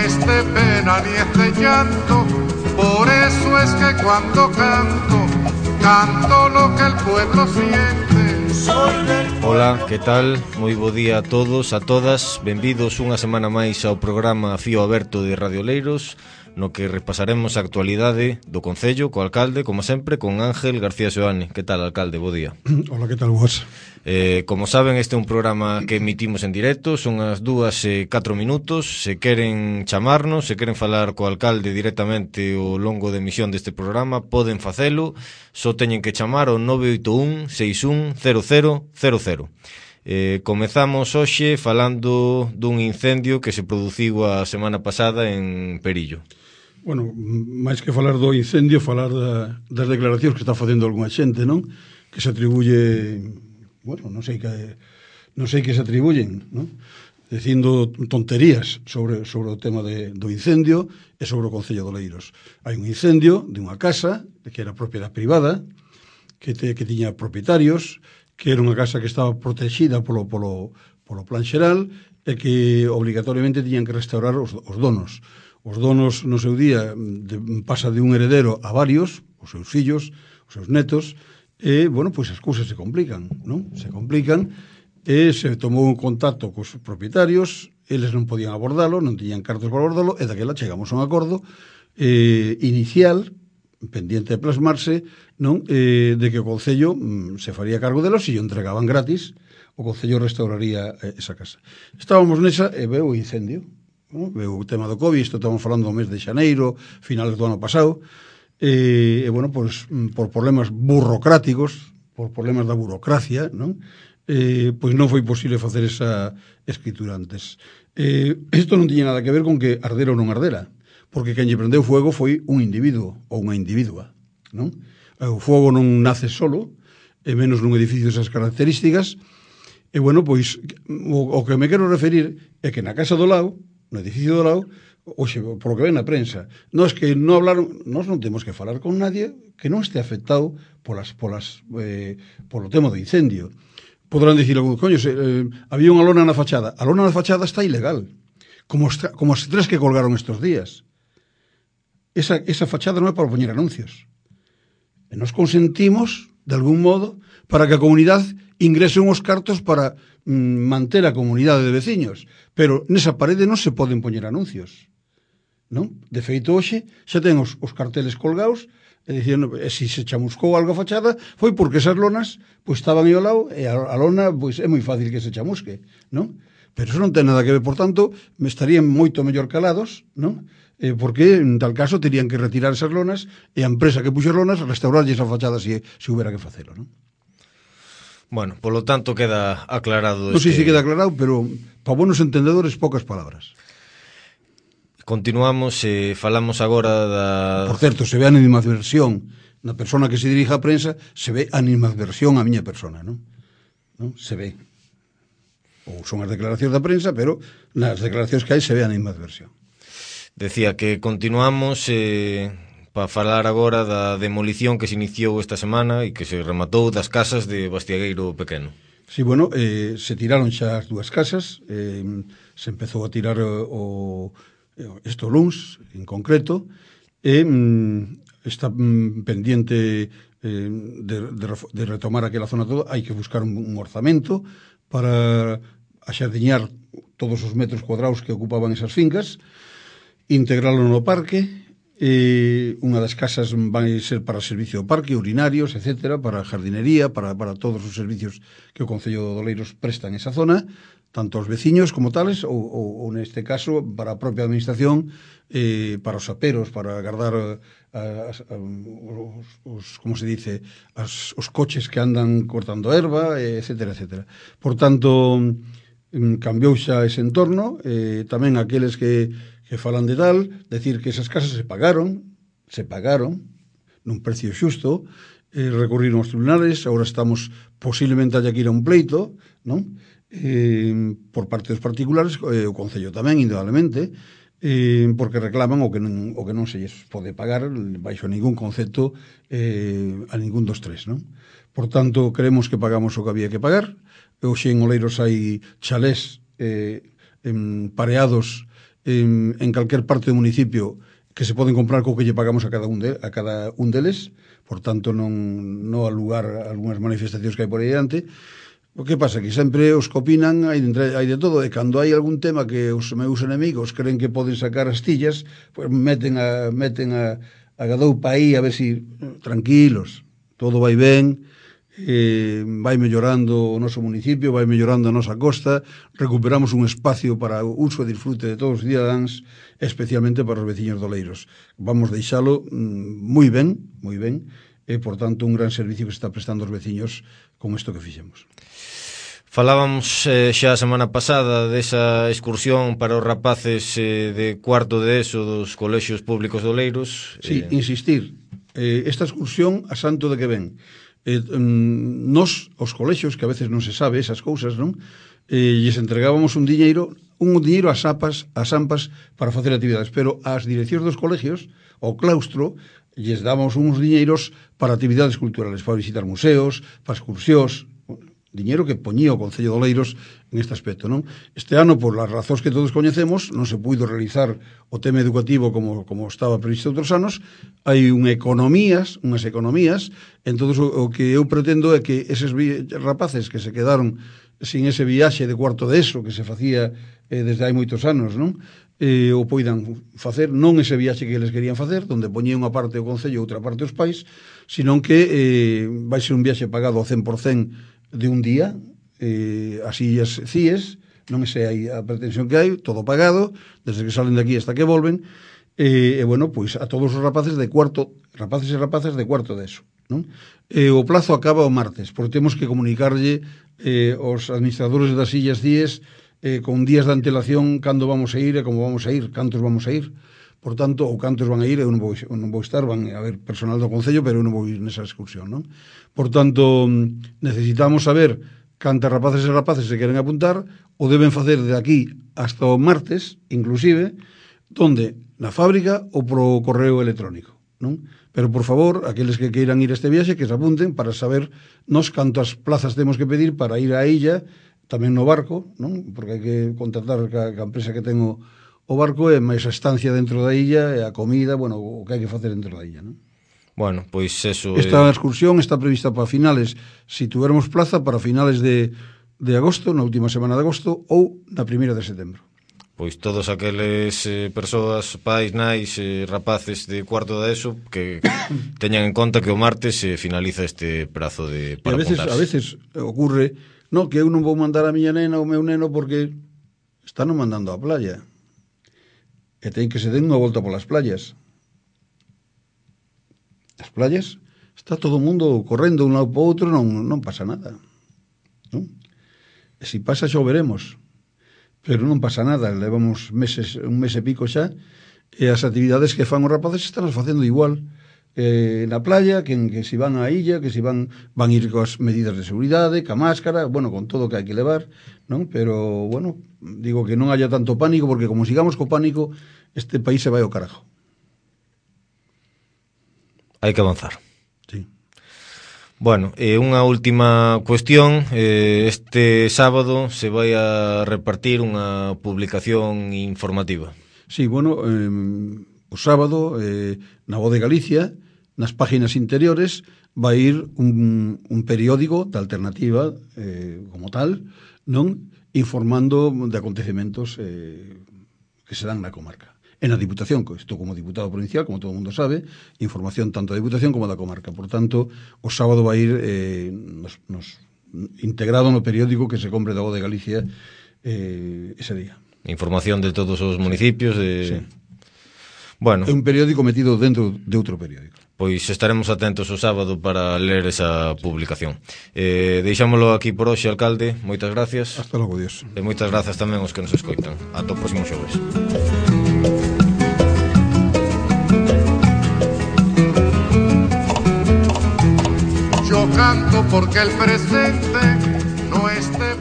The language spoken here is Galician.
es de pena ni es de llanto, por eso es que cuando canto, canto lo que el pueblo siente. Ola, que tal? Moi bo día a todos, a todas. Benvidos unha semana máis ao programa Fío Aberto de Radio Oleiros, no que repasaremos a actualidade do Concello co alcalde, como sempre, con Ángel García Seoane. Que tal, alcalde? Bo día. Hola, que tal vos? Como saben, este é un programa que emitimos en directo, son as 2:04. Se queren chamarnos, se queren falar co alcalde directamente ao longo de emisión deste programa, poden facelo, só teñen que chamar ao 981 61 0000. Comezamos hoxe falando dun incendio que se produciu a semana pasada en Perillo. Bueno, máis que falar do incendio, falar das declaracións que está facendo algunha xente, non? Que se atribuye, bueno, non sei que se atribuyen, non? Dicindo tonterías sobre o tema do incendio e sobre o Concello de Oleiros. Hai un incendio de unha casa que era propiedade privada, que tiña propietarios, que era unha casa que estaba protexida polo plan xeral e que obligatoriamente tiñan que restaurar os donos. Os donos no seu día pasa de un heredero a varios, os seus fillos, os seus netos, e, bueno, pois as cousas se complican, non? Se complican e se tomou un contacto cos propietarios, eles non podían abordalo, non tiñan cartos para abordalo, e daquela chegamos a un acordo inicial, pendiente de plasmarse, non? De que o Concello se faría cargo delos e o entregaban gratis, o Concello restauraría esa casa. Estábamos nesa e veu o incendio, non? Veu o tema do COVID, isto estamos falando do mes de xaneiro, finales do ano pasado, e bueno, pois, por problemas burocráticos, por problemas da burocracia, non? Pois non foi posible facer esa escritura antes. Isto non tiña nada que ver con que ardera ou non ardera, porque quen lle prendeu fuego foi un individuo ou unha individua, non? O fogo non nace solo, e menos nun edificio desas características, e bueno, pois o que me quero referir é que na casa do lado, no edificio do lado, oxe, por lo que ven na prensa, nós non temos que falar con nadie que non este afectado polo tema do incendio. Podrán dicir algún, coño, había unha lona na fachada. A lona na fachada está ilegal, como as tres que colgaron estes días. Esa fachada non é para poñer anuncios. E nos consentimos, de algún modo, para que a comunidade ingrese uns cartos para manter a comunidade de veciños. Pero nesa parede non se poden poñer anuncios, non? De feito, hoxe xa ten os carteles colgados e dicindo, se se chamuscou algo a fachada foi porque esas lonas pois estaban aí ao lado e a lona pois é moi fácil que se chamusque, non? Pero eso non ten nada que ver, por tanto, me estarían moito mellor calados, non? Porque en tal caso terían que retirar esas lonas e a empresa que puxo as lonas restaurarlle esa fachada se houbera que facelo, non? Bueno, polo tanto queda aclarado. Non sei se queda aclarado, pero para buenos entendedores pocas palabras. Continuamos, falamos agora da... Por certo, se ve animadversión na persona que se dirige á prensa, se ve animadversión á miña persona, non? Se ve. Ou son as declaracións da prensa, pero nas declaracións que hai se ve animadversión. Decía que continuamos para falar agora da demolición que se iniciou esta semana e que se rematou das casas de Bastiagueiro Pequeno. Sí, bueno, se tiraron xa as dúas casas, se empezou a tirar este luns, en concreto, e está pendiente de retomar aquela zona toda. Hai que buscar un orzamento para axardiñar todos os metros cuadrados que ocupaban esas fincas, integralo no parque. Unha das casas vai ser para servicio do parque, urinarios, etcétera, para jardinería, para todos os servicios que o Concello de Oleiros presta en esa zona, tanto aos veciños como tales, ou neste caso, para a propia administración, para os aperos, para guardar como se dice, os coches que andan cortando erva, etcétera, etcétera. Por tanto, cambiou xa ese entorno, tamén aqueles que falan de tal, decir que esas casas se pagaron nun precio xusto, recurriron aos tribunales, agora estamos posiblemente haya que ir a un pleito, non? Por parte dos particulares, o Concello tamén, indudablemente, porque reclaman o que non se lles pode pagar baixo ningún concepto a ningún dos tres, non? Por tanto, creemos que pagamos o que había que pagar. Hoxe en Oleiros hai chalés pareados en calquer parte do municipio que se poden comprar co que lle pagamos a cada un deles, por tanto non ao lugar algunhas manifestacións que hai por aí diante. O que pasa? Que sempre os que opinan hai de todo, e cando hai algún tema que os meus enemigos creen que poden sacar as tillas, pues meten a gadoupa aí a ver si tranquilos, todo vai ben, vai mellorando o noso municipio, vai mellorando a nosa costa, recuperamos un espacio para o uso e disfrute de todos os cidadáns, especialmente para os veciños doleiros. Vamos deixalo moi ben, e, por tanto, un gran servicio que se está prestando aos veciños con isto que fixemos. Falábamos xa a semana pasada desa excursión para os rapaces de cuarto de ESO dos colexios públicos doleiros. Sí, insistir, esta excursión a santo de que ven. Nos, os colexios, que a veces non se sabe esas cousas, non? Lles entregábamos un diñeiro ás AMPAs para facer actividades, pero ás direccións dos colegios, ao claustro, lles dábamos uns diñeiros para actividades culturales, para visitar museos, para excursións, diñeiro que poñía o Concello de Oleiros en este aspecto, non? Este ano, por as razóns que todos coñecemos, non se puido realizar o tema educativo como estaba previsto outros anos. Hai unhas economías, entón o que eu pretendo é que eses rapaces que se quedaron sin ese viaxe de cuarto de ESO que se facía desde hai moitos anos, non? O poidan facer, non ese viaxe que eles querían facer, donde poñía unha parte o Concello e outra parte os pais, senón que vai ser un viaxe pagado ao 100% de un día, así as CIES, non sei aí a pretensión que hai, todo pagado, desde que salen de aquí hasta que volven, e bueno, pois a todos os rapaces e rapazas de cuarto de ESO, non? O plazo acaba o martes, porque temos que comunicarlle aos administradores das illas CIES con días de antelación cando vamos a ir e como vamos a ir, cantos vamos a ir. Por tanto, ou cantos van a ir, eu non vou estar, van a haber personal do Concello, pero eu non vou ir nesa excursión, non? Por tanto, necesitamos saber cantas rapaces e rapaces se queren apuntar, o deben facer de aquí hasta o martes, inclusive, donde? Na fábrica ou pro correo electrónico, non? Pero, por favor, aqueles que queiran ir a este viaxe, que se apunten para saber nos cantas plazas temos que pedir para ir á illa, tamén no barco, non? Porque hai que contratar ca empresa que ten o barco e máis a estancia dentro da illa e a comida, bueno, o que hai que facer dentro da illa, non? Bueno, pois eso... Esta excursión está prevista para finales, si tuéramos plaza, para finales de agosto, na última semana de agosto, ou na primeira de setembro. Pois todos aqueles persoas, pais, nais, rapaces de cuarto de ESO que teñan en conta que o martes se finaliza este prazo para apuntarse. A veces ocurre, no, que eu non vou mandar a miña nena ou o meu neno porque están mandando á playa. E ten que se den unha volta polas playas. As playas está todo o mundo correndo un lado para o outro, non pasa nada, non? E se pasa xa o veremos, pero non pasa nada, levamos un mes e pico xa, e as actividades que fan os rapaces están facendo igual na playa, que si van á illa, que si van ir coas medidas de seguridade, ca máscara, bueno, con todo o que hai que levar, non? Pero, bueno, digo que non haya tanto pánico, porque como sigamos co pánico, este país se vai ao carajo. Hai que avanzar. Sí. Bueno, unha última cuestión. Este sábado se vai a repartir unha publicación informativa. Sí, bueno, o sábado, na Voz de Galicia, nas páginas interiores, vai ir un periódico de alternativa como tal, non? Informando de acontecementos que se dan na comarca. En a Diputación, que estou como diputado provincial, como todo o mundo sabe, información tanto da Diputación como da comarca. Por tanto, o sábado vai ir integrado no periódico que se compre da Voz de Galicia ese día. Información de todos os municipios. Sí. Bueno. É un periódico metido dentro de outro periódico. Pois estaremos atentos o sábado para ler esa publicación. Deixámolo aquí por hoxe, alcalde. Moitas gracias. Hasta logo, Dios. E moitas grazas tamén aos que nos escoitan. Ata o próximo xoves. Yo canto porque el presente no esté